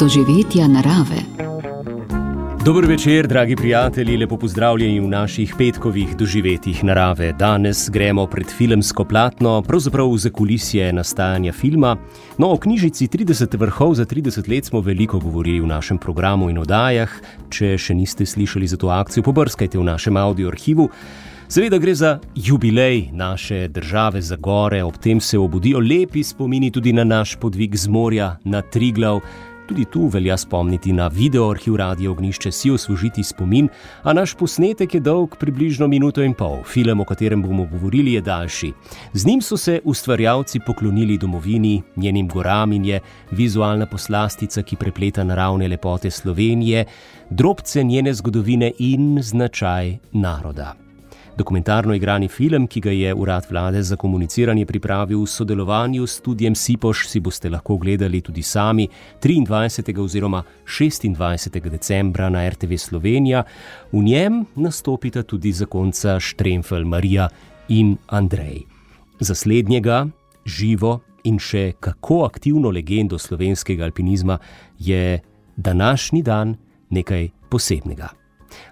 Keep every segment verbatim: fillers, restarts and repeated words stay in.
doživetja narave. Dober večer, dragi prijatelji, lepo pozdravljeni v naših petkovih doživetjih narave. Danes gremo pred filmsko platno, pravzaprav v zakulisje nastajanja filma. No, o knjižici trideset vrhov za trideset let smo veliko govorili v našem programu in oddajah. Če še niste slišali za to akcijo, pobrskajte v našem audio arhivu. Seveda gre za jubilej naše države za gore, ob tem se obudijo lepi spomini tudi na naš podvig z morja na Triglav. Tudi tu velja spomniti na video arhiv Radia Ognjišče, si osvežiti spomin, a naš posnetek je dolg približno minuto in pol. Film, o katerem bomo govorili, je daljši. Z njim so se ustvarjalci poklonili domovini, njenim goram in je vizualna poslastica, ki prepleta naravne lepote Slovenije, drobce njene zgodovine in značaj naroda. Dokumentarno igrani film, ki ga je Urad Vlade za komuniciranje pripravil v sodelovanju s studiem Sipoš, si boste lahko gledali tudi sami triindvajsetega oziroma šestindvajsetega decembra na er te ve Slovenija. V njem nastopita tudi zakonca Štremfelj, Marija in Andrej. Za slednjega, živo in še kako aktivno legendo slovenskega alpinizma je današnji dan nekaj posebnega.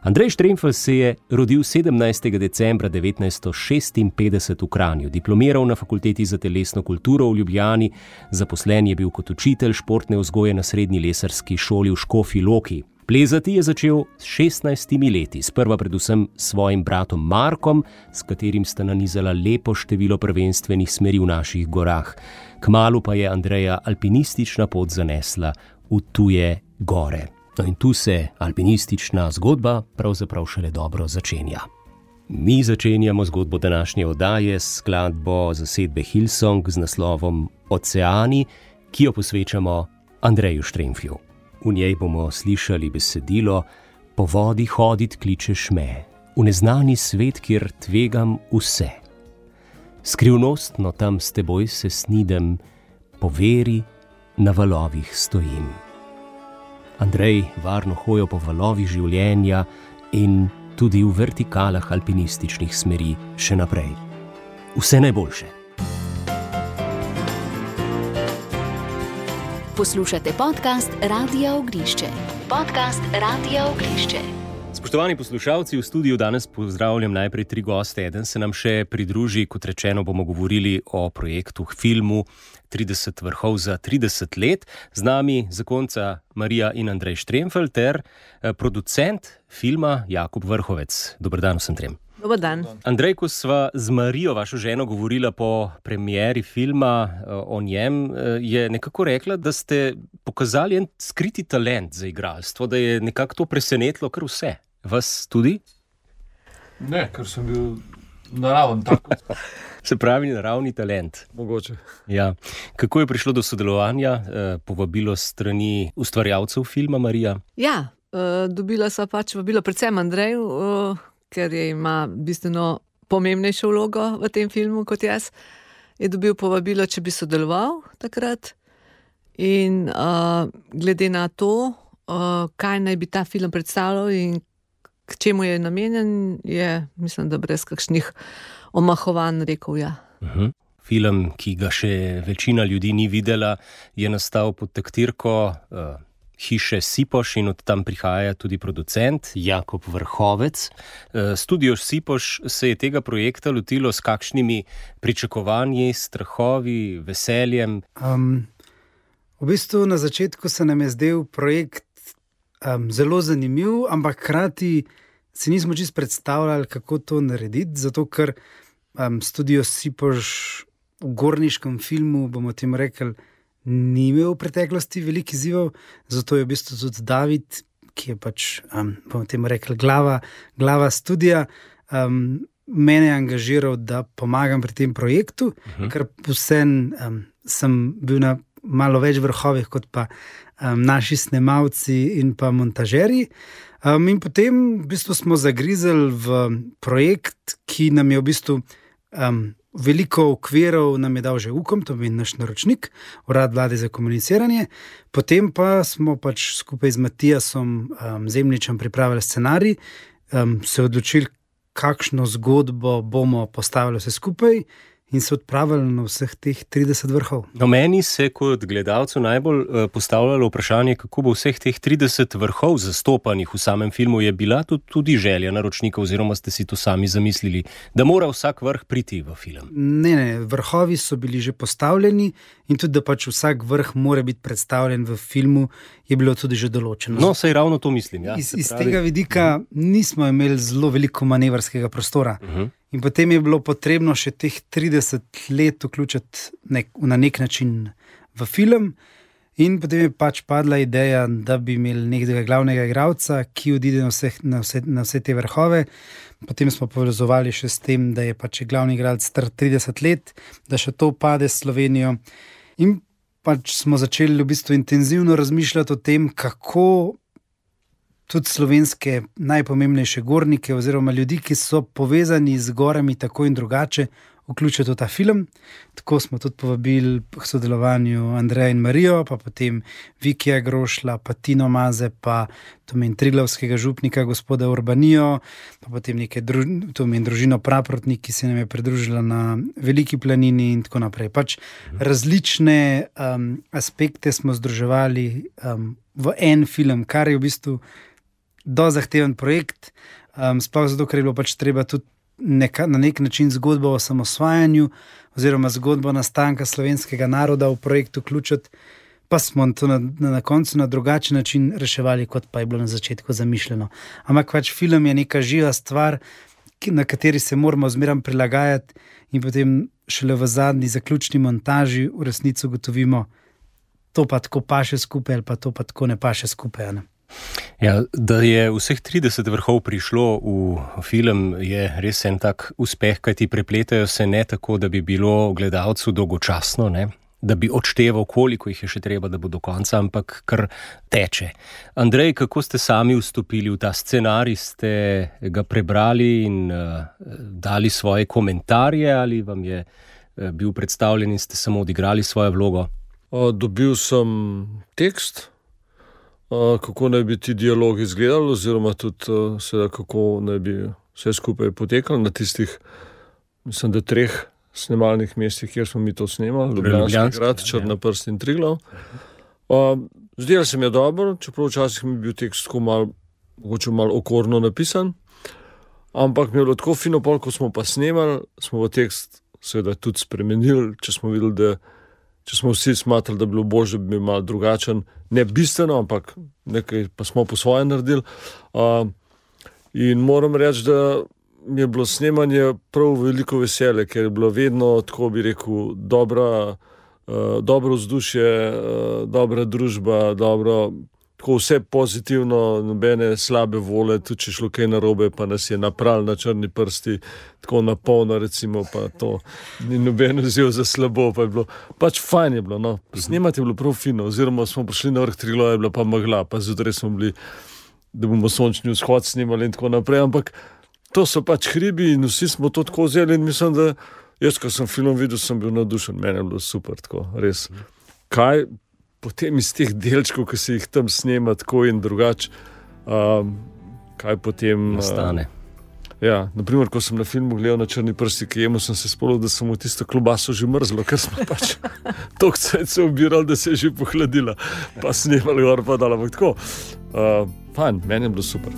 Andrej Štremfelj se je rodil sedemnajstega decembra devetnajststo šestinpetdeset v Kranju, diplomiral na Fakulteti za telesno kulturo v Ljubljani, zaposlen je bil kot učitelj športne vzgoje na srednji lesarski šoli v Škofji Loki. Plezati je začel s šestnajstimi leti, sprva predvsem s svojim bratom Markom, s katerim sta nanizala lepo število prvenstvenih smeri v naših gorah. Kmalu pa je Andreja alpinistična pot zanesla v tuje gore. No in tu se alpinistična zgodba pravzaprav šele dobro začenja. Mi začenjamo zgodbo današnje oddaje s skladbo zasedbe Hillsong z naslovom Oceani, ki jo posvečamo Andreju Štremflju. V njej bomo slišali besedilo: Po vodi hodit kličeš me, v neznani svet, kjer tvegam vse. Skrivnostno tam s teboj se snidem, po veri na valovih stojim. Andrej varno hojo po valovih življenja in tudi v vertikalah alpinističnih smeri še naprej. Vse najboljše. Poslušate podcast Radia Ognjišče. Podcast Radia Ognjišče. Spoštovani poslušalci, v studiu danes pozdravljam najprej tri goste. Eden se nam še pridruži, kot rečeno bomo govorili o projektu, filmu trideset vrhov za trideset let. Z nami zakonca Marija in Andrej Štremfelj ter producent filma Jakub Vrhovec. Dober dan vsem trem. Dober dan. Andrej, ko sva z Marijo, vašo ženo, govorila po premieri filma o njem, je nekako rekla, da ste pokazali en skriti talent za igralstvo, da je nekako to presenetilo kar vse. Vas tudi? Ne, ker sem bil naraven tako. Se pravi, naravni talent. Mogoče. Ja. Kako je prišlo do sodelovanja, povabilo strani ustvarjalcev filma, Marija? Ja, dobila sva pač vabilo predvsem Andreju, ker je ima bistveno pomembnejšo vlogo v tem filmu kot jaz. Je dobil povabilo, če bi sodeloval takrat. In uh, glede na to, uh, kaj naj bi ta film predstavljal in k čemu je namenjen, je, mislim, da brez kakšnih omahovanj rekel ja. Uh-huh. Film, ki ga še večina ljudi ni videla, je nastal pod taktirko uh, hiše Sipoš in od tam prihaja tudi producent Jakub Vrhovec. Uh, studio Sipoš se je tega projekta lotilo s kakšnimi pričakovanji, strahovi, veseljem? Um, v bistvu na začetku se nam je zdel projekt um, zelo zanimiv, ampak hkrati si nismo čisto predstavljali, kako to narediti, zato ker um, studio Sipoš v gorniškem filmu, bomo temu rekli, ni imel v preteklosti veliko izzivov, zato je v bistvu tudi David, ki je pač, um, bomo temu rekli, glava, glava studija, um, mene je angažiral, da pomagam pri tem projektu, uh-huh. ker vsem um, sem bil na malo več vrhovih kot pa um, naši snemalci in pa montažerji. Um, in potem v bistvu smo zagrizali v projekt, ki nam je v bistvu um, veliko okvirov nam je dal že UKOM, to je naš naročnik, Urad Vlade za komuniciranje. Potem pa smo pač skupaj z Matijasom um, Zemljičem pripravili scenarij, um, se odločili, kakšno zgodbo bomo postavili vse skupaj in se odpravili na vseh teh trideset vrhov. No, meni se kot gledalcu najbolj uh, postavljalo vprašanje, kako bo vseh teh trideset vrhov zastopanih v samem filmu. Je bila to tudi želja naročnika oziroma ste si to sami zamislili, da mora vsak vrh priti v film? Ne, ne, vrhovi so bili že postavljeni in tudi, da pač vsak vrh mora biti predstavljen v filmu, je bilo tudi že določeno. No, saj ravno to mislim. Ja, iz, iz pravi... tega vidika nismo imeli zelo veliko manevrskega prostora. Uh-huh. In potem je bilo potrebno še teh trideset let vključiti nek, na nek način v film. In potem je pač padla ideja, da bi imeli nekega glavnega igralca, ki odide na, vseh, na, vse, na vse te vrhove. Potem smo povezovali še s tem, da je pač glavni igralec star trideset let, da še to pade s Slovenijo. In pač smo začeli v bistvu intenzivno razmišljati o tem, kako tudi slovenske najpomembnejše gornike oziroma ljudi, ki so povezani z gorami tako in drugače, vključiti v ta film. Tako smo tudi povabili k sodelovanju Andreja in Marijo, pa potem Vikija Grošla, pa Tino Maze, pa tomen Triglavskega župnika gospoda Urbanijo, pa potem neke druž, tomen družino Praprotnik, ki se nam je pridružila na Veliki planini in tako naprej. Pač različne um, aspekte smo združevali um, v en film, kar je v bistvu do zahteven projekt, um, sploh zato, ker je bilo pač treba tudi neka, na nek način zgodbo o samosvajanju oziroma zgodbo nastanka slovenskega naroda v projekt vključiti, pa smo to na, na, na koncu na drugačen način reševali, kot pa je bilo na začetku zamišljeno. Ampak pač film je neka živa stvar, ki, na kateri se moramo zmeraj prilagajati in potem šele v zadnji zaključni montaži v resnici ugotovimo, to pa tako paše skupaj ali pa to pa tako ne paše skupaj, ne? Ja, da je vseh trideset vrhov prišlo v film, je res en tak uspeh, kajti prepletajo se ne tako, da bi bilo gledalcu dolgočasno, ne? Da bi odšteval, koliko jih je še treba, da bo do konca, ampak kar teče. Andrej, kako ste sami vstopili v ta scenarij? Ste ga prebrali in uh, dali svoje komentarje ali vam je uh, bil predstavljen in ste samo odigrali svojo vlogo? Uh, dobil sem tekst, Uh, kako naj bi ti dialog izgledal, oziroma tudi uh, seveda, kako naj bi vse skupaj potekalo na tistih, mislim, da treh snemalnih mestih, kjer smo mi to snemali, Ljubljanski grad, Črna prst in Triglav. Uh, zdelo se mi je dobro, čeprav včasih mi je bil tekst tako malo, mogoče malo okorno napisan, ampak mi je bilo tako fino pol, ko smo pa snemali, smo v tekst seveda tudi spremenili, če smo videli, da če smo vsi smatrali, da bi bilo božje, da bi bil malo drugačen, ne bistveno, ampak nekaj pa smo po svoje naredili. Uh, in moram reči, da mi je bilo snemanje prav veliko veselje, ker je bilo vedno, tako bi rekel, dobra, uh, dobro vzdušje, uh, dobra družba, dobro, tako vse pozitivno, nobene slabe vole, tudi če šlo kaj narobe, pa nas je napral na črni prsti, tako na polno recimo, pa to ni noben vzel za slabo, pa je bilo, pač fajn je bilo, no, snemati je bilo prav fino, oziroma smo prišli na vrh Triglav, je bila pa megla, pa zjutraj smo bili, da bomo sončni vzhod snemali in tako naprej, ampak to so pač hribi in vsi smo to tako vzeli in mislim, da jaz, ko sem film videl, sem bil navdušen, meni je bilo super, tako, res. Kaj potem iz teh delčkov, ki se jih tam snema tako in drugače, um, kaj potem nastane. Uh, ja, naprimer, ko sem na filmu gledal na Črni prsti, ki jemo, sem se spolil, da sem v tisto klobaso že mrzlo, ker smo pač toliko cajt se obirali, da se je že pohladila, pa snemali gor pa dala, ampak tako. Uh, fajn, meni je bilo super.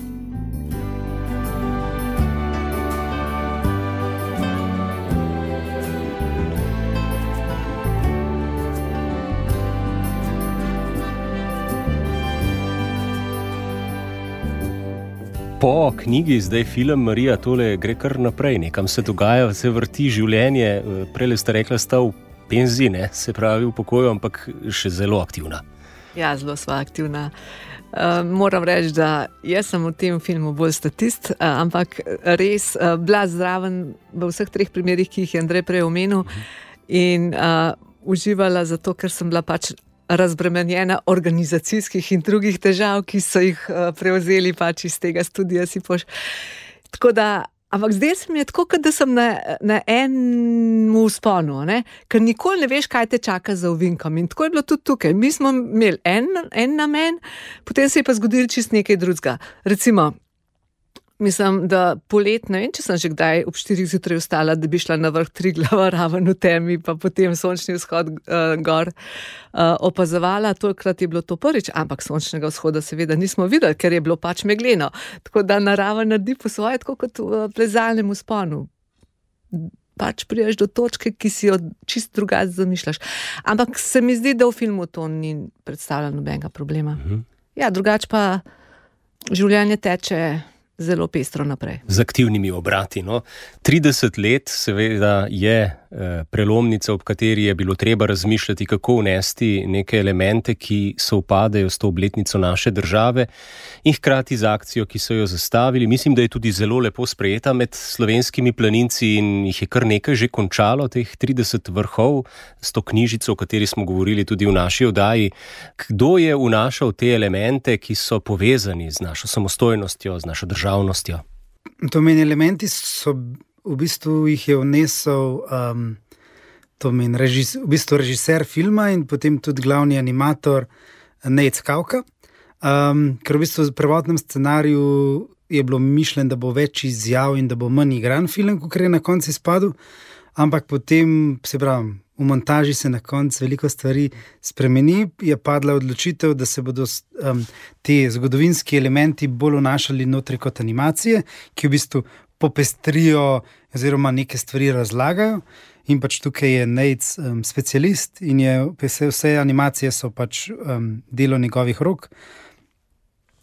Po knjigi, zdaj film Marija, tole gre kar naprej, nekam se dogaja, se vrti življenje, prej ste rekla, sta v penziji, ne, se pravi v pokoju, ampak še zelo aktivna. Ja, zelo sva aktivna. Uh, moram reči, da jaz sem v tem filmu bolj statist, uh, ampak res uh, bila zraven v vseh treh primerih, ki jih je Andrej prej omenil, in uh, uživala zato, ker sem bila pač razbremenjena organizacijskih in drugih težav, ki so jih uh, prevzeli pač iz tega studija Sipoš. Tako da, ampak zdaj se mi je tako, kot da sem na, na enem vzponu, ne? Ker nikoli ne veš, kaj te čaka za ovinkom. In tako je bilo tudi tukaj. Mi smo imeli en, en namen, potem se je pa zgodilo čist nekaj drugega. Recimo, Mislim, da polet, ne vem, če sem že kdaj ob štirih zjutraj vstala, da bi šla na vrh Triglava raven v temi, pa potem sončni vzhod uh, gor uh, opazovala. Tokrat je bilo to prvič, ampak sončnega vzhoda seveda nismo videli, ker je bilo pač megleno. Tako da narava naredi po svoje, tako kot v plezalnem vzponu. Pač priješ do točke, ki si jo čist drugače zamišljaš. Ampak se mi zdi, da v filmu to ni predstavljalo nobenega problema. Mhm. Ja, drugače pa življenje teče zelo pestro naprej. Z aktivnimi obrati. No? trideset let seveda je eh, prelomnica, ob kateri je bilo treba razmišljati, kako vnesti neke elemente, ki sovpadajo s to obletnico naše države in hkrati z akcijo, ki so jo zastavili. Mislim, da je tudi zelo lepo sprejeta med slovenskimi planinci in jih je kar nekaj že končalo, teh trideset vrhov, s to knjižico, o kateri smo govorili tudi v naši oddaji. Kdo je vnašal te elemente, ki so povezani z našo samostojnostjo, z našo državnostjo? To meni elementi so, v bistvu jih je vnesel um, to meni režis, v bistvu režiser filma in potem tudi glavni animator Nejc Kavka. Um, ker v bistvu v prvotnem scenariju je bilo mišljeno, da bo več izjav in da bo manj igran film, kot je na koncu izpadel, ampak potem, se pravim, v montaži se na koncu veliko stvari spremeni, je padla odločitev, da se bodo um, te zgodovinski elementi bolj vnašali notri kot animacije, ki v bistvu popestrijo oziroma neke stvari razlagajo. In pač tukaj je Nejc um, specialist in je, vse, vse animacije so pač um, delo njegovih rok.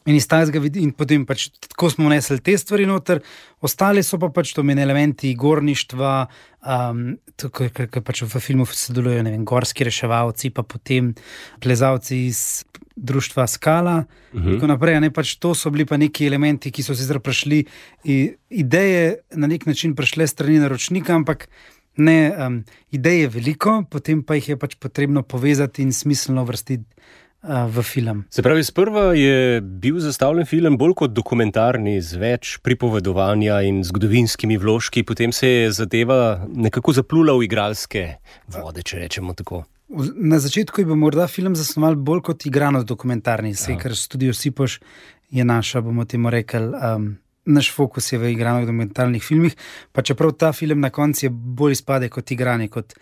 In, in potem pač tako smo vnesli te stvari noter, ostali so pa pač to meni elementi gorništva, um, ker pač v filmu sodelujejo, ne vem, gorski reševalci, pa potem plezalci iz društva Skala, uh-huh. Tako naprej, ne, pač to so bili pa neki elementi, ki so sicer prišli, ideje na nek način prišle strani naročnika, ampak ne, um, ideje veliko, potem pa jih je pač potrebno povezati in smiselno vrstiti v film. Se pravi, sprva je bil zastavljen film bolj kot dokumentarni, z več pripovedovanja in zgodovinskimi vložki, potem se je zadeva nekako zaplula v igralske vode, če rečemo tako. Na začetku je bil morda film zasnoval bolj kot igrano dokumentarni, se, ker Studio Sipoš je naša, bomo temu rekli, um, naš fokus je v igranih dokumentarnih filmih, pa čeprav ta film na koncu je bolj izpade kot igrani, kot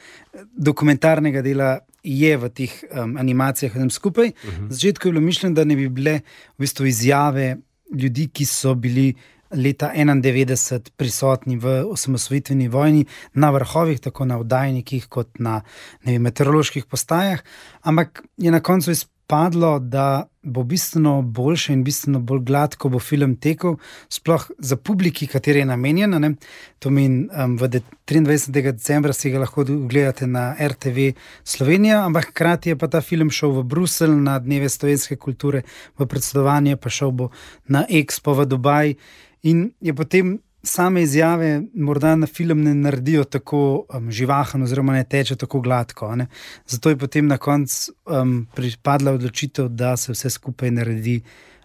dokumentarnega dela je v teh um, animacijah vsem skupaj. Uh-huh. Na začetku je bilo mišljeno, da ne bi bile v bistvu izjave ljudi, ki so bili leta enaindevetdeset prisotni v osamosvojitveni vojni na vrhovih, tako na oddajnikih kot na, ne vem, meteoroloških postajah, ampak je na koncu izpadlo, da bo bistveno boljše in bistveno bolj gladko bo film tekel, sploh za publiki, kateri je namenjena. Ne? To meni, um, v triindvajsetega decembra si ga lahko gledate na R T V Slovenija, ampak hkrati je pa ta film šel v Bruselj na Dneve slovenske kulture, v predsedovanje, pa šel bo na Expo v Dubaj in je potem same izjave morda na film ne naredijo tako um, živahen oziroma ne teče tako gladko. Ne? Zato je potem na koncu um, pripadla odločitev, da se vse skupaj naredi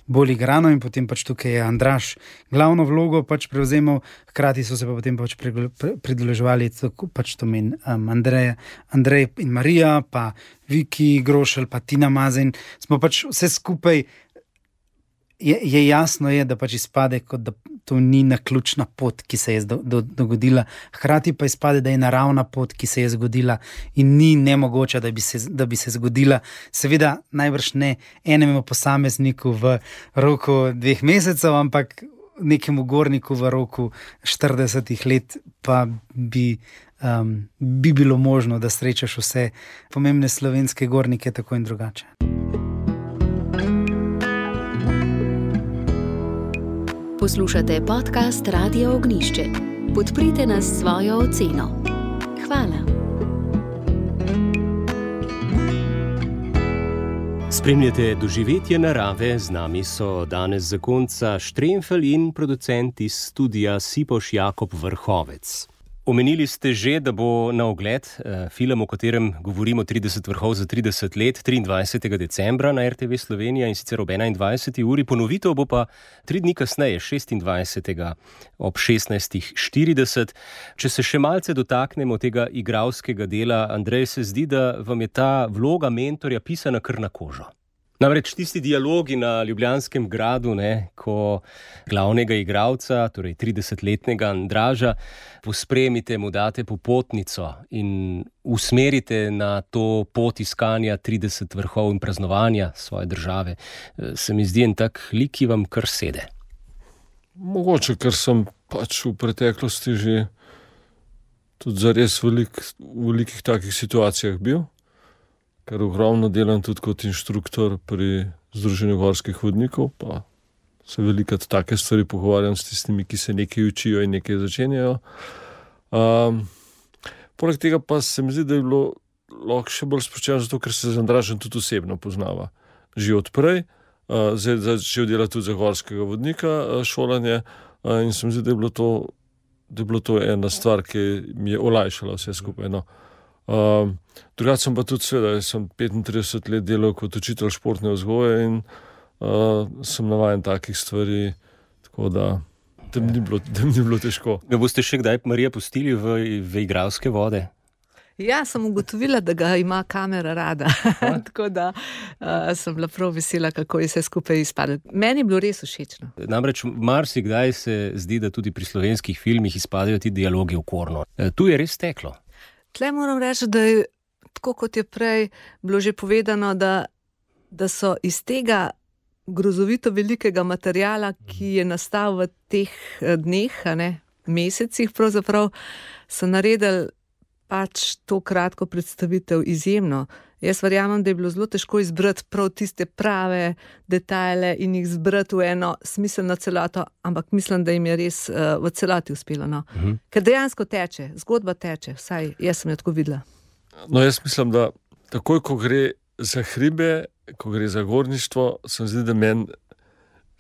bolj igrano in potem pač tukaj je Andraž glavno vlogo pač prevzemal, hkrati so se pa potem pač pridruževali pač to meni um, Andrej, Andrej in Marija, pa Viki Grošelj, pa Tina Mazen. Smo pač vse skupaj, je, je jasno je, da pač izpade, kot da to ni naključna pot, ki se je do, do, dogodila. Hkrati pa izpade, da je naravna pot, ki se je zgodila in ni nemogoče, da bi se, da bi se zgodila. Seveda najbrž ne enemu posamezniku v roku dveh mesecev, ampak nekemu gorniku v roku štiridesetih let pa bi, um, bi bilo možno, da srečaš vse pomembne slovenske gornike tako in drugače. Poslušate podcast Radio Ognišče. Podprite nas s svojo oceno. Hvala. Spremljate doživetje narave, z nami so danes zakonca Štremfelj in producent iz studia Sipoš Jakob Vrhovec. Omenili ste že, da bo na ogled eh, film, o katerem govorimo trideset vrhov za trideset let, triindvajsetega decembra na R T V Slovenija in sicer ob enaindvajseti uri, ponovitev bo pa tri dni kasneje, šestindvajsetega ob šestnajstih štirideset. Če se še malce dotaknemo tega igralskega dela, Andrej, se zdi, da vam je ta vloga mentorja pisana kar na kožo. Namreč tisti dialogi na Ljubljanskem gradu, ne, ko glavnega igralca, torej tridesetletnega Andraža, pospremite, mu date popotnico in usmerite na to pot iskanja trideset vrhov in praznovanja svoje države, se mi zdi en tak lik, ki vam kar sede. Mogoče, ker sem pač v preteklosti že tudi zares velik, v velikih takih situacijah bil, ker ogromno delam tudi kot inštruktor pri Združenju gorskih vodnikov, pa se velikrat take stvari pogovarjam s tistimi, ki se nekaj učijo in nekaj začenjajo. Um, poleg tega pa se mi zdi, da je bilo lahko še bolj sproščeno, zato ker se z Andražem tudi osebno poznava. Že odprej, uh, zdaj začel delati tudi za gorskega vodnika uh, šolanje uh, in se mi zdi, da je bilo to, da je bilo to ena stvar, ki mi je olajšala vse skupaj. No. Um, drugače sem pa tudi seveda, sem petintrideset let delal kot učitelj športne vzgoje in uh, sem navajen takih stvari, tako da tem ni bilo, tem ni bilo težko. Ga boste še kdaj, Marija, pustili v, v igralske vode? Ja, sem ugotovila, da ga ima kamera rada, tako da uh, sem bila prav vesela, kako je vse skupaj izpadlo. Meni je bilo res všečno. Namreč marsikdaj se zdi, da tudi pri slovenskih filmih izpadajo ti dialogi okorno. E, tu je res teklo. Tle moram reči, da je tako, kot je prej bilo že povedano, da, da so iz tega grozovito velikega materijala, ki je nastal v teh dneh, a ne, mesecih pravzaprav, so naredili pač to kratko predstavitev izjemno. Jaz verjamem, da je bilo zelo težko izbrati prav tiste prave detajle in jih zbrati v eno smiselno celoto, ampak mislim, da jim je res uh, v celoti uspelo. No. Uh-huh. Ker dejansko teče, zgodba teče, vsaj jaz sem jo tako videla. No, jaz mislim, da takoj, ko gre za hribe, ko gre za gorništvo, sem zdi, da meni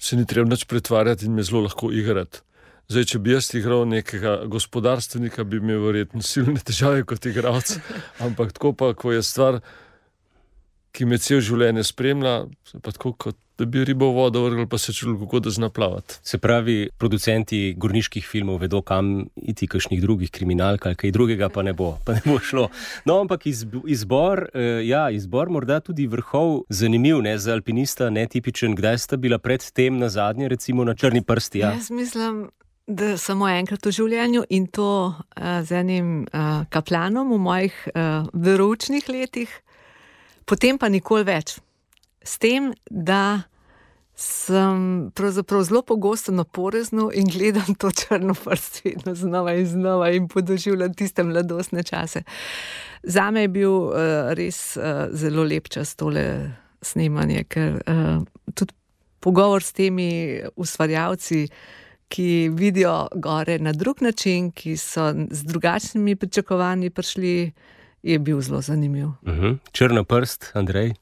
se ni treba nič pretvarjati in me zelo lahko igrati. Zdaj, če bi jaz igral nekega gospodarstvenika, bi imel verjetno silne težave kot igralec, ampak tako pa, ko je stvar, ki me cel življenje spremlja, pa tako, kot da bi ribo v vodo vrgel, pa se čutil, kako da zna plavati. Se pravi, producenti gorniških filmov vedo, kam iti, kakšnih drugih kriminalk ali kaj drugega pa ne bo, pa ne bo šlo. No, ampak izbor, ja, izbor morda tudi vrhov zanimiv, ne, za alpinista netipičen. Kdaj sta bila pred tem na zadnje, recimo na Črni prsti? Ja? Jaz mislim, da samo enkrat v življenju in to uh, z enim uh, kaplanom v mojih uh, veroučnih letih, potem pa nikoli več. S tem, da sem pravzaprav zelo pogosto na Poreznu in gledam to Črno prst vedno znova in znova in podoživljam tiste mladostne čase. Zame je bil uh, res uh, zelo lep čas tole snemanje, ker uh, tudi pogovor s temi ustvarjalci, ki vidijo gore na drug način, ki so z drugačnimi pričakovanji prišli, je bil zelo zanimiv. Uh-huh. Črna prst, Andrej?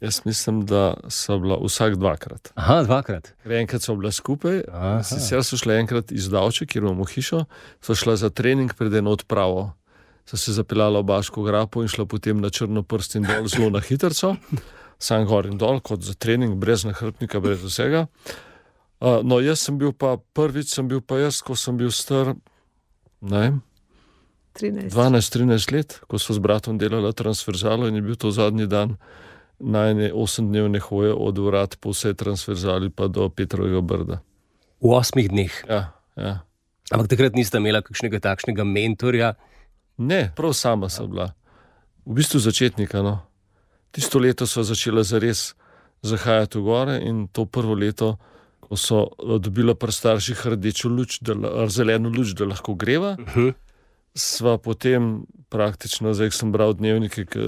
Jaz mislim, da so bila vsak dvakrat. Aha, dvakrat. Enkrat so bila skupaj, sicer so šla enkrat iz Davče, kjer imamo hišo, so šla za trening pred eno odpravo. So se zapeljala v Baško grapo in šla potem na Črno prst in dol zelo na hitrco, sam gor in dol, kot za trening, brez nahrbtnika, brez vsega. Uh, no, jaz sem bil pa, prvič sem bil pa jaz, ko sem bil star, ne, dvanajst trinajst let, ko so s bratom delala transverzalo in je bil to zadnji dan najne osemdnevne hoje od vrat po vse transverzali pa do Petrovega Brda. V osmih dneh? Ja, ja. Ampak takrat nista imela kakšnega takšnega mentorja? Ne, prav sama sem bila. V bistvu začetnika, no. Tisto leto so začela zares zahajati v gore in to prvo leto, ko so dobila pri starših rdečo luč, da, zeleno luč, da lahko greva, uh-huh. Sva potem praktično, zdaj sem bral dnevnike, ki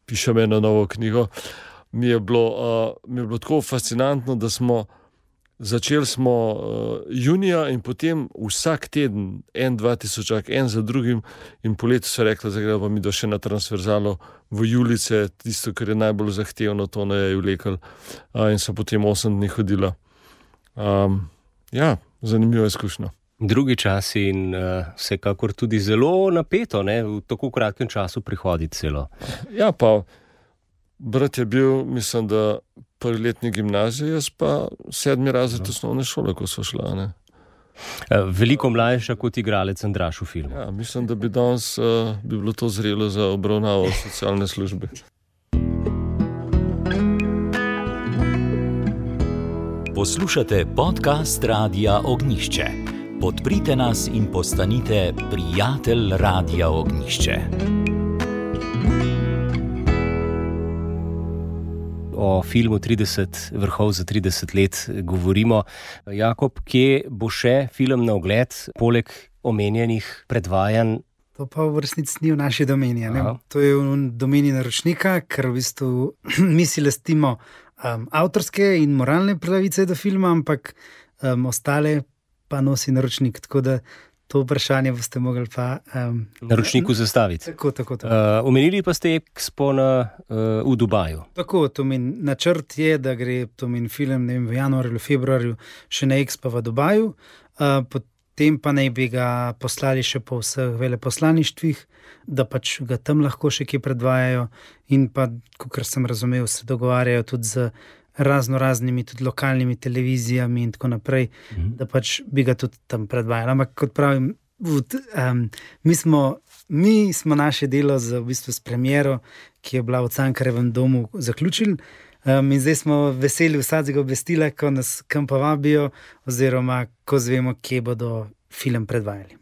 pišem eno novo knjigo, mi je bilo, uh, mi je bilo tako fascinantno, da smo začeli smo uh, junija in potem vsak teden, en, dva tisočak, en za drugim in po letu so rekla, da gremo mi do še na transverzalo v Julice, tisto, kar je najbolj zahtevno, to ne je vlekel uh, in so potem osem dni hodila. Um, ja, zanimivo izkušnja. Drugi časi in uh, vsekakor tudi zelo napeto, ne, v tako kratkem času prihoditi celo. Ja, pa brat je bil, mislim, da prvi letni gimnazije, jaz pa sedmi razred osnovne šole, ko so šla, ne. Veliko mlajša kot igralec Andraž v filmu. Ja, mislim, da bi danes uh, bi bilo to zrelo za obravnavo socialne službe. Poslušate podcast Radia Ognišče. Podprite nas in postanite prijatelj Radia Ognišče. O filmu trideset vrhov za trideset let govorimo. Jakob, kje bo še film na ogled, poleg omenjenih predvajanj? To pa v resnici ni v naši domeni. To je v domeni naročnika, ker v bistvu mi si lastimo um, avtorske in moralne pravice do filma, ampak um, ostale pa nosi naročnik. Tako da to vprašanje boste mogli pa Um, naročniku zastaviti. Tako, tako, tako. Uh, omenili pa ste Expo na, uh, v Dubaju. Tako, to meni načrt je, da gre to meni film ne vem, v januarju ali februarju še na Expo v Dubaju, uh, potem pa naj bi ga poslali še po vseh veleposlaništvih, da pač ga tam lahko še kje predvajajo in pa, kakor sem razumel, se dogovarjajo tudi z razno raznimi tudi lokalnimi televizijami in tako naprej, mhm. da pač bi ga tudi tam predvajali. Ampak kot pravim, um, mi, smo, mi smo naše delo z, v bistvu, s premiero, ki je bila v Cankarjevem domu, zaključili. Um, in zdaj smo veseli vsakega obvestila, ko nas kam povabijo oziroma ko zvemo, kje bodo film predvajali.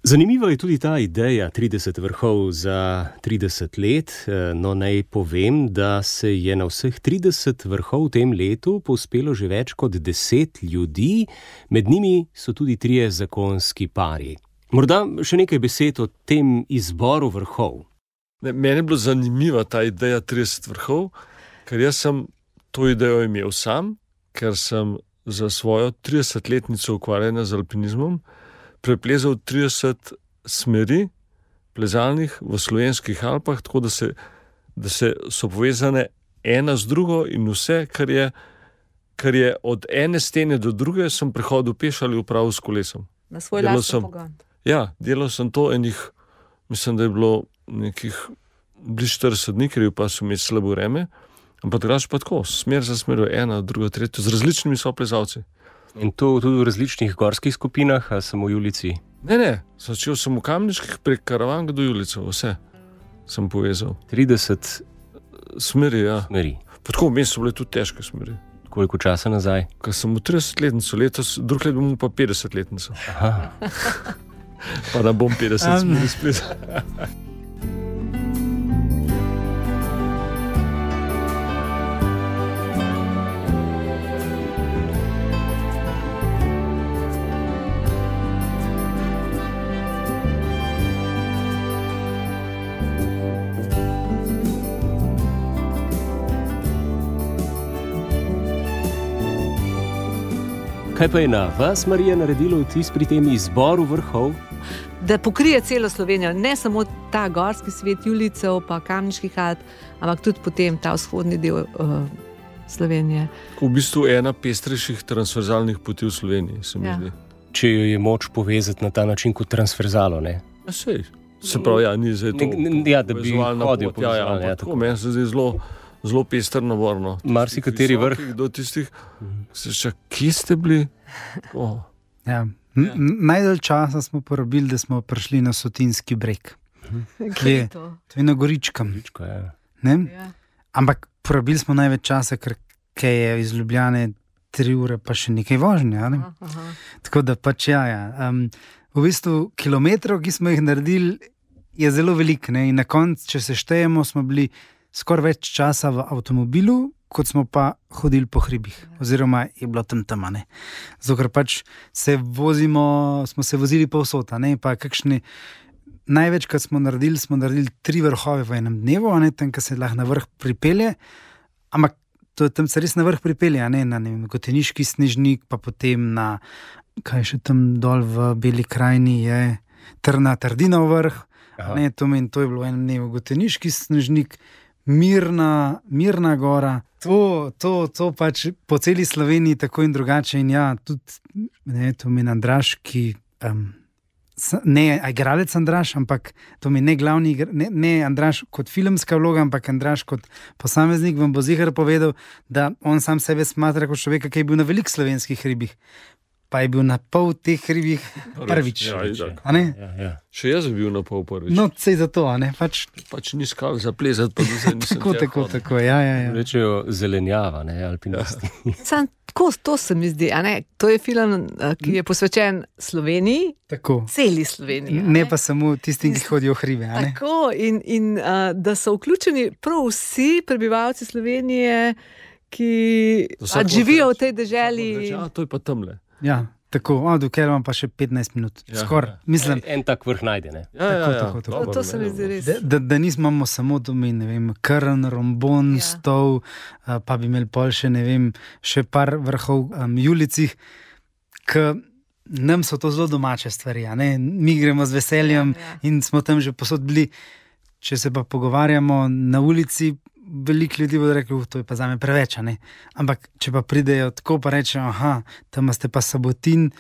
Zanimiva je tudi ta ideja trideset vrhov za trideset let. No, naj povem, da se je na vseh trideset vrhov v tem letu povzpelo že več kot deset ljudi, med njimi so tudi trije zakonski pari. Morda še nekaj besed o tem izboru vrhov. Ne, meni je bila zanimiva ta ideja trideset vrhov, ker jaz sem to idejo imel sam, ker sem za svojo tridesetletnico ukvarjanja z alpinizmom preplezal trideset smeri plezalnih v slovenskih Alpah, tako da, se, da se so povezane ena z drugo in vse, kar je, kar je od ene stene do druge, sem prehodil peš ali upravil s kolesom. Na svoj lasten pogon. Ja, delal sem to enih, mislim, da je bilo nekih bliž štirideset dni, ker je pa so imeli slabo vreme, ampak drugače pa tako, smer za smer, ena, druga, tretja, z različnimi soplezalci. In to tudi v različnih gorskih skupinah, ali samo v Julici? Ne, ne, začel sem v Kamniških prek Karavanga do Julice, vse sem povezal. trideset smeri, ja. Smeri. Pa tako, v mestu so bile tudi težke smeri. Koliko časa nazaj? Ko sem v tridesetletnico, letos, drug let bom pa petdesetletnico. Aha. Pa da bom petdeset smeri splet. Kaj pa je na vas, Marija, naredilo vtis pri tem izboru vrhov? Da pokrije celo Slovenijo, ne samo ta gorski svet Julicev pa Kamniških Alp, ampak tudi potem ta vzhodni del uh, Slovenije. V bistvu ena pestrejših transverzalnih poti v Sloveniji, se mi Ja. zdi. Če jo je moč povezati na ta način kot transverzalo, ne? Ja, sej. Se pravi, ja, ni zdaj to Ne- ne- ja, da bi povezovalna hodil pot, ja, ja, povezovalno, ja, ampak tako. tako, meni se zdi zelo, zelo pester nabor, no. Marsikateri vrh. Visokih do tistih, se še, kje ste bili? Oh. Ja. N- n- Najdalj časa smo porabili, da smo prišli na Sotinski breg. Kaj je to? To je na Goričkem. Ko je- Ne? Ja. Ampak porabili smo največ časa, ker kaj je iz Ljubljane tri ure, pa še nekaj vožnje. a Ne? Aha, aha. Tako da pač ja. ja. Um, v bistvu kilometrov, ki smo jih naredili, je zelo veliko. ne, In na koncu, če se štejemo, smo bili skoraj več časa v avtomobilu, kot smo pa hodili po hribih. Oziroma je bilo tam tam. ne. Zato ker pač se vozimo, smo se vozili povsod. a ne, Pa kakšni. Največ, kar smo naredili, smo naredili tri vrhove v enem dnevu, a ne tam, ki se lahko na vrh pripelje. Ampak to, tam se res na vrh pripelje, a ne na ne vem, Goteniški snežnik, pa potem na, kaj še tam dol v Beli krajini je, Trna Trdinov vrh. Aha. Ne, to, meni, to je bilo v enem dnevu Goteniški snežnik, Mirna, Mirna gora. To, to, to pač po celi Sloveniji tako in drugače. In ja, tudi ne, to meni Andraž, ki. Um, Ne igralec Andraž, ampak to mi ne glavni, igra- ne, ne Andraž kot filmska vloga, ampak Andraž kot posameznik vam bo ziher povedal, da on sam sebe smatra kot človeka, ki je bil na velikih slovenskih hribih. pa je bil na pol teh hribih prvič. Ja, a ne? Ja, ja. Še jaz bi bil na pol prvič. No, sej zato, a ne? Pač, Pač ni skal zaplezati, pa da se nisem tako, tja tako, hodil. tako, ja, ja, ja. Rečejo zelenjava, ne, alpinisti. Sam, tako, to se mi zdi, a ne? To je film, a, ki je posvečen Sloveniji, Tako. celi Sloveniji. a Ne pa samo tistim, ki hodijo v hribe, a ne? Tako, in, in a, da so vključeni prav vsi prebivalci Slovenije, ki Vsak a, živijo v lahko tej reče, deželi. vsak lahko reče, "A, to je pa tamle." Ja, tako, a, dokler imam pa še petnajst minut, Ja, skoraj, ja. mislim, En tak vrh najde, ne. Ja, ja, ja. tako, tako. dobro, To, to se mi ne, zdi res. da, da, da nismo imamo samo domen, ne vem, Krn, Rombon, Ja. ja. Stol, a, pa bi imeli pol še, ne vem, še par vrhov um, Julicih, ki nam so to zelo domače stvari, a ne? Mi gremo z veseljem Ja, ja. in smo tam že posod bili. Če se pa pogovarjamo na ulici, veliko ljudi bo reklo, to je pa zame preveč, a ne. Ampak če pa pridejo tako, pa rečejo, aha, tam ste pa Sabotin,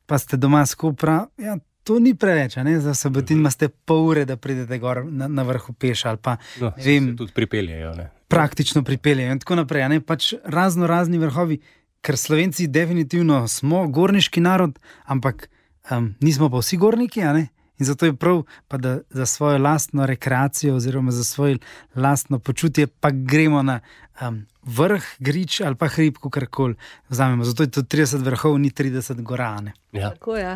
pa ste doma s Kopra, ja, to ni preveč, a ne. Za Sabotin imate pol ure, da pridete gor na, na vrhu peš ali pa No, ne vem, se tudi pripeljejo, ne. praktično pripeljejo in tako naprej. a ne. Pač razno razni vrhovi, ker Slovenci definitivno smo gorniški narod, ampak um, nismo pa vsi gorniki, a ne. In zato je prav, pa da za svojo lastno rekreacijo oziroma za svoje lastno počutje pa gremo na um, vrh, grič ali pa hrib, kakorkoli vzamemo. Zato je to trideset vrhov, ni trideset gora, ne. Ja. Tako, ja.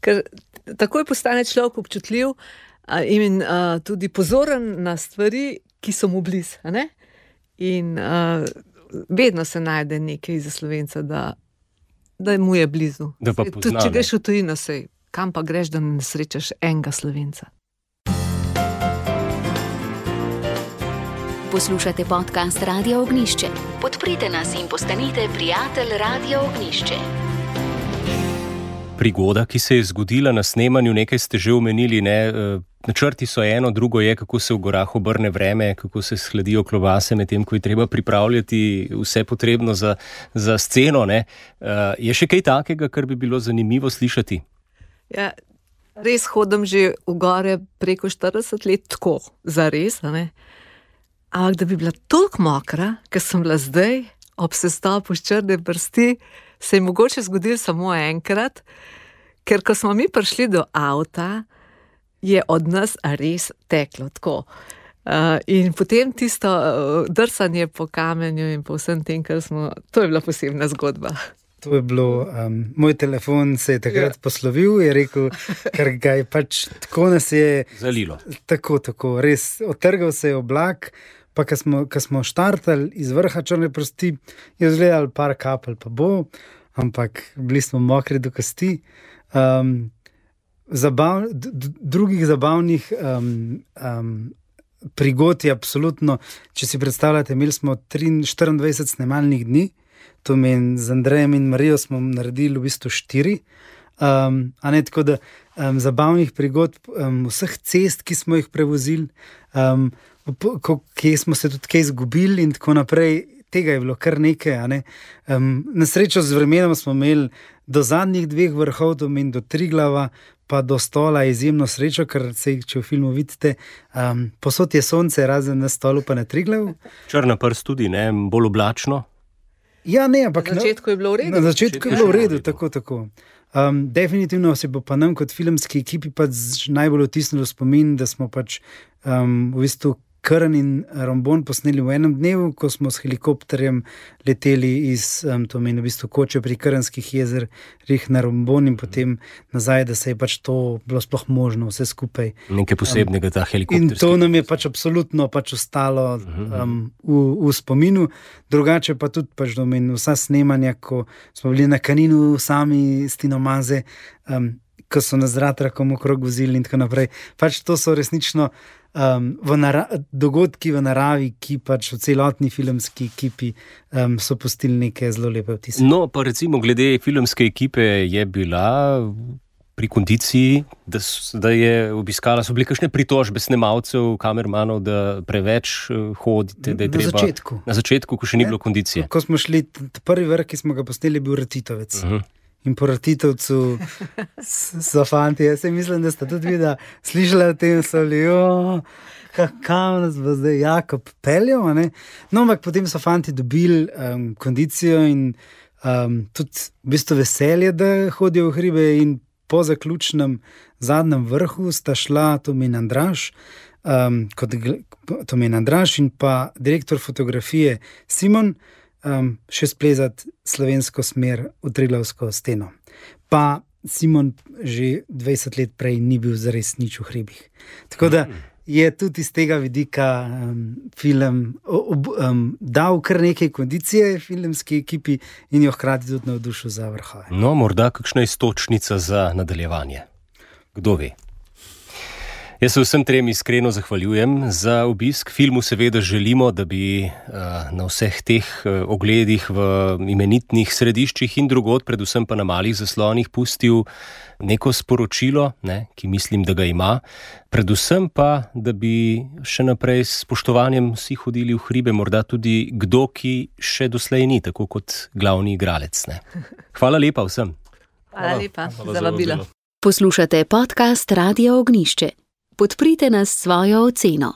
Ker takoj postane človek občutljiv a, in a, tudi pozoren na stvari, ki so mu blizu. a ne? In a, vedno se najde nekaj za Slovenca, da, da mu je blizu. Da pa Saj pozna, tudi če ne. greš v tujino, sej, kam pa greš, da ne srečaš enega Slovenca. Poslušate podcast Radio Ognišče. Podprite nas in postanite prijatelj Radio Ognišče. Prigoda, ki se je zgodila na snemanju, nekaj ste že omenili, ne? eh, Načrti so eno, drugo je, kako se v gorah obrne vreme, kako se shladijo klobase, medtem ko je treba pripravljati vse potrebno za, za sceno. Ne? Eh, Je še kaj takega, kar bi bilo zanimivo slišati? Ja, res hodim že v gore preko štirideset let, tako, za res. Ampak da bi bila toliko mokra, ker sem bila zdaj ob sestopu s Črne prsti, se je mogoče zgodilo samo enkrat, ker ko smo mi prišli do avta, je od nas res teklo tako. Uh, in potem tisto uh, drsanje po kamenju in po vsem tem, kar smo, to je bila posebna zgodba. To je bilo, um, moj telefon se je takrat Ja. poslovil, je rekel, ker ga je pač tako nas je, Zalilo. tako, tako, res otrgal se je oblak, pa ko smo, ko smo štartali iz vrha Črne prsti, je izgledalo par kapelj, pa bo, ampak bili smo mokri do kosti. Um, zabav, d, d, drugih zabavnih um, um, prigod je absolutno, če si predstavljate, imeli smo štiriindvajset snemalnih dni, to meni z Andrejem in Marijo smo naredili v bistvu štiri. Um, a ne tako, da um, zabavnih prigod, um, vseh cest, ki smo jih prevozili, um, po- ko- kje smo se tudi kaj izgubili in tako naprej, tega je bilo kar nekaj. a ne. Um, na srečo z vremenom smo imeli do zadnjih dveh vrhov, to meni do Triglava, pa do Stola izjemno srečo, ker se, če v filmu vidite, um, posod je sonce, razen na Stolu pa na Triglavu. Črna prst tudi, ne? Bolj oblačno. Ja, ne, ampak Na začetku je bilo v redu. Na začetku je je bilo v še v redu, redu. tako, tako. Um, definitivno se bo pa nam kot filmski ekipi pač najbolj vtisnilo v spomin, da smo pač um, v bistvu Krn in Rombon posneli v enem dnevu, ko smo s helikopterjem leteli iz um, to meni v bistvu Koče pri Krnskih jezerih na Rombon in potem nazaj, da se je pač to bilo sploh možno vse skupaj. Nekaj posebnega ta In helikopterski. to nam je pač absolutno pač ostalo um, v, v spominu. Drugače pa tudi pač domen vsa snemanja, ko smo bili na Kaninu sami s Tino Maze, um, ko so nas z ratrakom okrog vozili in tako naprej. Pač to so resnično um, v nara- dogodki v naravi, ki pač v celotni filmski ekipi um, so pustili neke zelo lepe vtise. No, pa recimo glede filmske ekipe je bila pri kondiciji, da, s- da je obiskala, so bile kakšne pritožbe snemalcev, kamermanov, da preveč eh, hodite, da je Na treba... začetku. Na začetku, ko še ni Ne. bilo kondicije. Ko smo šli, t- t- prvi vrh, ki smo ga posneli, je bil Ratitovec. Uh -huh. In po Ratitovcu s- so fanti, jaz se mislim, da ste tudi vi, da slišali o tem, so bili, jo, kam nas bo zdaj Jakob peljal. a ne?" No, ampak potem so fanti dobili um, kondicijo in um, tudi v bistvu veselje, da hodijo v hribe, in po zaključnem zadnjem vrhu sta šla Tomin Andraž, um, kot Tomin Andraž in pa direktor fotografije Simon, um, še splezati slovensko smer v Triglavsko steno. Pa Simon že dvajset let prej ni bil zares nič v hribih. Tako da je tudi iz tega vidika um, film ob, um, dal kar nekaj kondicije filmski ekipi in jo hkrati tudi navdušil za vrhove. No, morda kakšna iztočnica za nadaljevanje. Kdo ve? Jaz se vsem trem iskreno zahvaljujem za obisk. Filmu seveda želimo, da bi uh, na vseh teh uh, ogledih v imenitnih središčih in drugod, predvsem pa na malih zaslonih, pustil neko sporočilo, ne, ki mislim, da ga ima. Predvsem pa, da bi še naprej s spoštovanjem vsi hodili v hribe, morda tudi kdo, ki še doslej ni, tako kot glavni igralec. Ne. Hvala lepa vsem. Hvala lepa Hvala za vabilo. Poslušate podcast Radio Ognišče. Podprite nas s svojo oceno.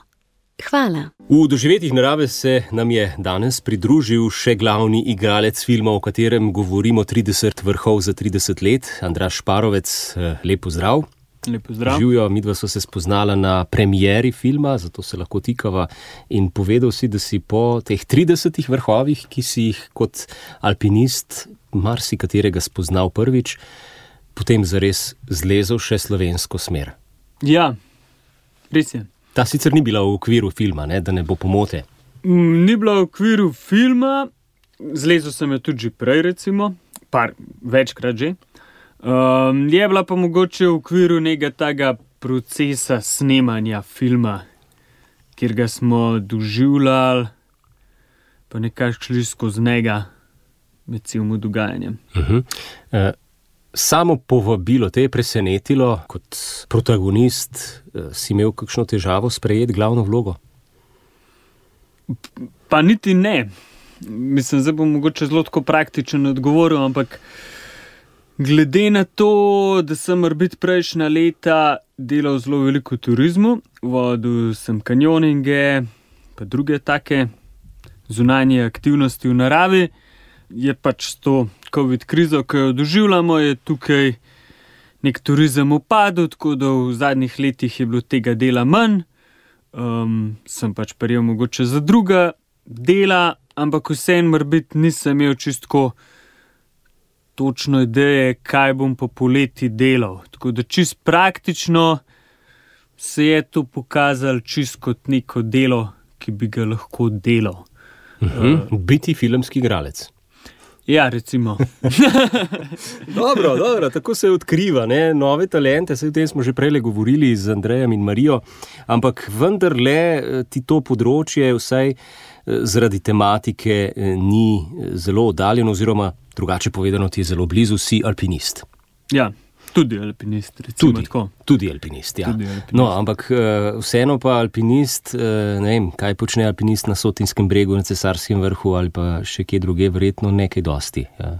Hvala. V doživetjih narave se nam je danes pridružil še glavni igralec filma, o katerem govorimo trideset vrhov za trideset let, Andraž Šparovec. Lep pozdrav. Lep pozdrav. Živjo, midva sva se spoznala na premieri filma, zato se lahko tikava, in povedal si, da si po teh tridesetih vrhovih, ki si jih kot alpinist marsikaterega spoznal prvič, potem zares zlezel še slovensko smer. Ja, res je. Ta sicer ni bila v okviru filma, ne, da ne bo pomote. Mm, ni bila v okviru filma, zlezel sem jo tudi že prej, recimo, par, večkrat že. Um, je bila pa mogoče v okviru nekega tega procesa snemanja filma, kjer ga smo doživljali, pa nekaj šli skozi njega med celim dogajanjem. Uh-huh. Uh, Samo povabilo te je presenetilo, kot protagonist, si imel kakšno težavo sprejeti glavno vlogo? Pa niti ne. Mislim, zdaj bom mogoče zelo tako praktičen odgovoril, ampak glede na to, da sem morbiti prejšnja leta delal zelo veliko v turizmu, vodil sem kanjoninge, pa druge take zunanje aktivnosti v naravi, je pač to COVID krizo, ki jo doživljamo, je tukaj nek turizem upadel, tako da v zadnjih letih je bilo tega dela manj. Um, sem pač prijel mogoče za druga dela, ampak vseeno morbiti nisem imel čistko točno ideje, kaj bom po poleti delal. Tako da čist praktično se je to pokazalo čist kot neko delo, ki bi ga lahko delal. Uh-huh. Uh, Biti filmski igralec. Ja, recimo. dobro, dobro, tako se odkriva, ne, nove talente, se o tem smo že prej govorili z Andrejem in Marijo, ampak vendarle ti to področje vsaj zaradi tematike ni zelo oddaljeno, oziroma drugače povedano, ti je zelo blizu, si alpinist. Ja, tudi alpinist, recimo tudi, tako. Tudi alpinist, ja. Tudi alpinist. No, ampak vseeno pa alpinist, ne vem, kaj počne alpinist na Sotinskem bregu, na Cesarskem vrhu ali pa še kje druge, verjetno nekaj dosti. Ja,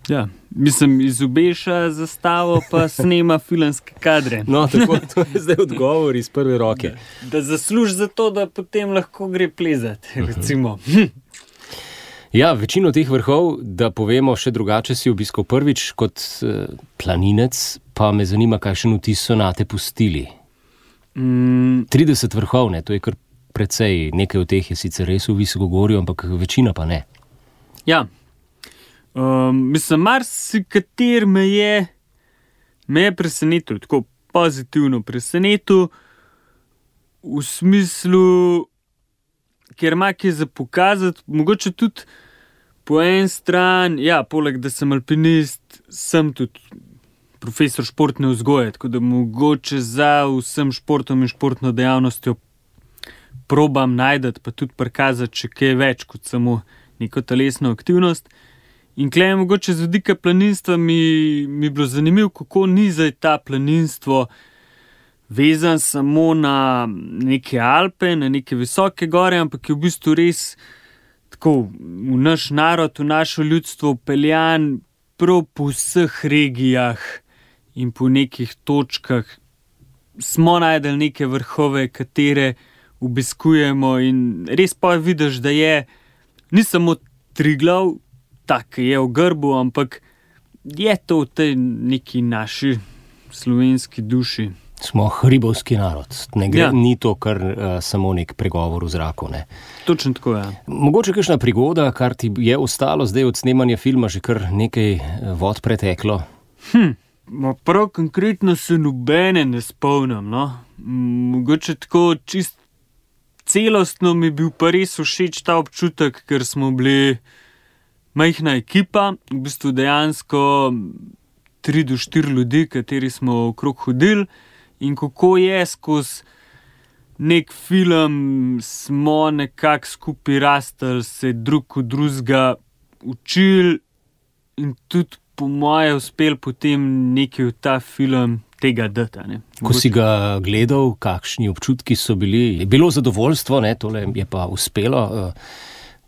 ja, mislim, izobeša zastavo pa snema filmske kadre. No, tako, to je zdaj odgovor iz prve roke. Da, da zasluži za to, da potem lahko gre plezati, recimo. Ja, večino teh vrhov, da povemo še drugače, si obiskal prvič kot eh, planinec, pa me zanima, kakšen vtis so nate pustili. Mm. trideset vrhov, ne, to je kar precej, nekaj od teh je sicer res v Visokogorju, ampak večina pa ne. Ja, um, mislim, marsikater me je, me je presenetil, tako pozitivno presenetil, v smislu, ker ima kaj za pokazati, mogoče tudi po en stran, ja, poleg da sem alpinist, sem tudi profesor športne vzgoje, tako da mogoče za vsem športom in športno dejavnostjo probam najdati, pa tudi prikazati še kaj več kot samo neko telesno aktivnost. In klej mogoče z vidika planinstva mi, mi bilo zanimivo, kako ni zdaj ta planinstvo vezan samo na neke Alpe, na neke visoke gore, ampak je v bistvu res tako v naš narod, v našo ljudstvo peljan prav po vseh regijah in po nekih točkah. Smo najdeli neke vrhove, katere obiskujemo, in res pa vidiš, da je ni samo Triglav tak, je v grbu, ampak je to v tej neki naši slovenski duši. Smo hribovski narod, ne gre, Ja. ni to kar uh, samo nek pregovor v zraku. Ne. Točno tako, ja. Mogoče kakšna prigoda, kar ti je ostalo zdaj od snemanja filma, že kar nekaj eh, vod preteklo? Hm, ma prav konkretno se nobene ne spomnim, no. M, Mogoče tako čist celostno mi je bil pa res všeč ta občutek, ker smo bili majhna ekipa, v bistvu dejansko tri do štiri ljudi, kateri smo okrog hodili, in kako je skozi nek film smo nekako skupaj rastli, se drug od drugega učili in tudi po moje uspel potem nekaj v ta film tega dati. Ne. Ko si ga gledal, kakšni občutki so bili? Je bilo zadovoljstvo, ne, tole je pa uspelo. eh,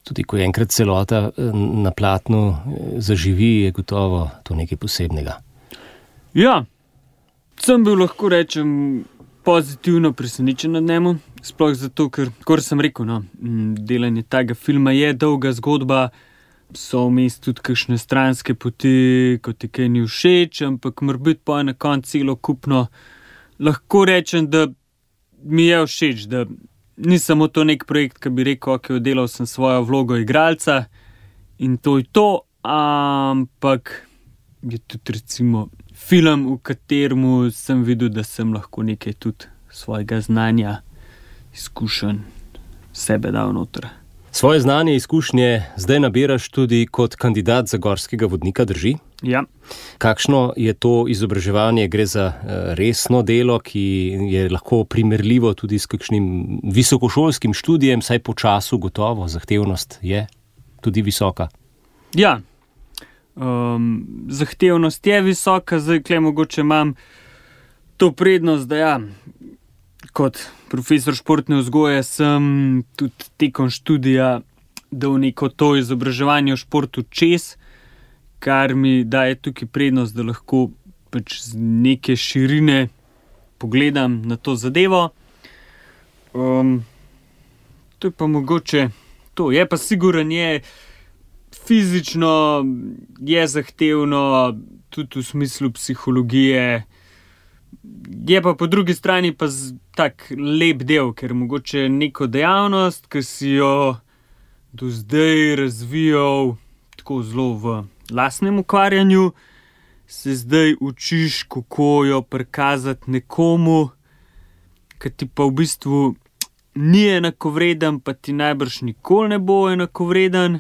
Tudi ko je enkrat celota eh, na platnu eh, zaživi, je gotovo to nekaj posebnega. Ja, sem bil, lahko rečem, pozitivno presenečen nad njemu, sploh zato, ker, kot sem rekel, no, m, delanje tega filma je dolga zgodba, so vmes tudi kakšne stranske poti, ko ti kaj ni všeč, ampak morbiti pa je na koncu celo kupno. Lahko rečem, da mi je všeč, da ni samo to nek projekt, ki bi rekel, ok, oddelal sem svojo vlogo igralca in to je to, ampak je tudi recimo film, v katerem sem videl, da sem lahko nekaj tudi svojega znanja, izkušenj sebe dal noter. Svoje znanje, izkušnje zdaj nabiraš tudi kot kandidat za gorskega vodnika, drži? Ja. Kakšno je to izobraževanje? Gre za eh, resno delo, ki je lahko primerljivo tudi s kakšnim visokošolskim študijem, saj po času gotovo zahtevnost je tudi visoka. Ja, um, zahtevnost je visoka, zdaj kle mogoče imam to prednost, da ja, kot profesor športne vzgoje sem tudi tekom študija dal neko to izobraževanje v športu čez, kar mi daje tukaj prednost, da lahko pač z neke širine pogledam na to zadevo. Um, to je pa mogoče to, je pa siguren je, fizično je zahtevno, tudi v smislu psihologije, je pa po drugi strani pa tak lep del, ker mogoče neko dejavnost, ki si jo do zdaj razvijal tako zelo v lastnem ukvarjanju, se zdaj učiš, kako jo prikazati nekomu, ki ti pa v bistvu ni enakovreden, pa ti najbrž nikoli ne bo enakovreden,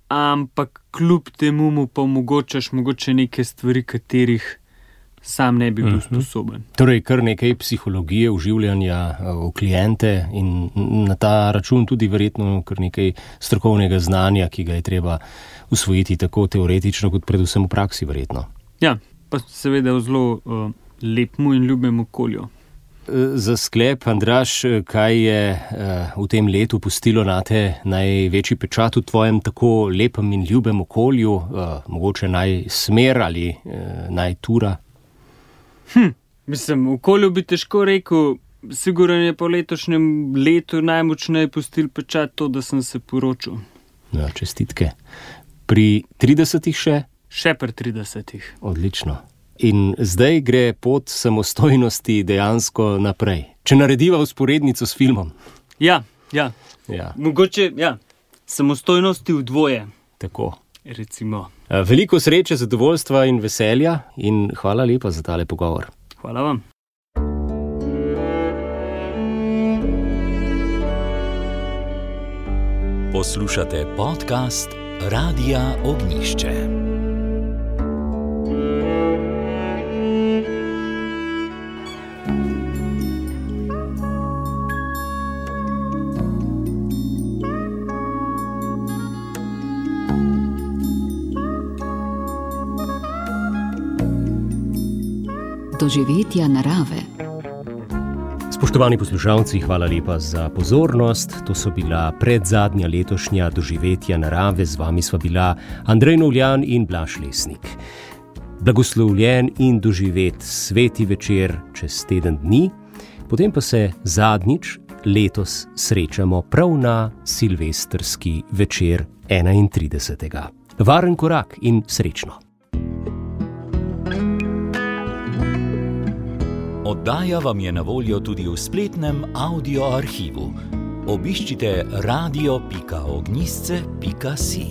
ampak kljub temu mu pa omogočaš mogoče neke stvari, katerih sam ne bi bil Mhm. sposoben. Torej, kar nekaj psihologije, vživljanja eh, v kliente in na ta račun tudi verjetno kar nekaj strokovnega znanja, ki ga je treba usvojiti tako teoretično, kot predvsem v praksi verjetno. Ja, pa seveda v zelo uh, lepmu in ljubem okolju. Eh, Za sklep, Andraž, eh, kaj je eh, v tem letu pustilo nate največji pečat v tvojem tako lepem in ljubem okolju, eh, mogoče naj smer ali eh, naj tura? Hm, mislim, v okolju bi težko rekel, sigurno je po letošnjem letu najmočneje pustil pečat to, da sem se poročil. Ja, čestitke. Pri tridesetih še? Še pri tridesetih. Odlično. In zdaj gre pot samostojnosti dejansko naprej. Če narediva vzporednico s filmom. Ja, ja, Ja, mogoče, ja, samostojnosti v dvoje, tako. recimo. Eh, Veliko sreče, zadovoljstva in veselja in hvala lepa za tale pogovor. Hvala vam. Poslušate podcast Radia Ognišče. Doživetja narave. Spoštovani poslušalci, hvala lepa za pozornost. To so bila predzadnja letošnja doživetja narave. Z vami sva bila Andrej Novljan in Blaž Lesnik. Blagoslovljen in doživet sveti večer čez teden dni, potem pa se zadnjič letos srečamo prav na silvestrski večer enaintridesetega. Varen korak in srečno. Oddaja vam je na voljo tudi v spletnem audio arhivu. Obiščite radio pika ognjišče pika si.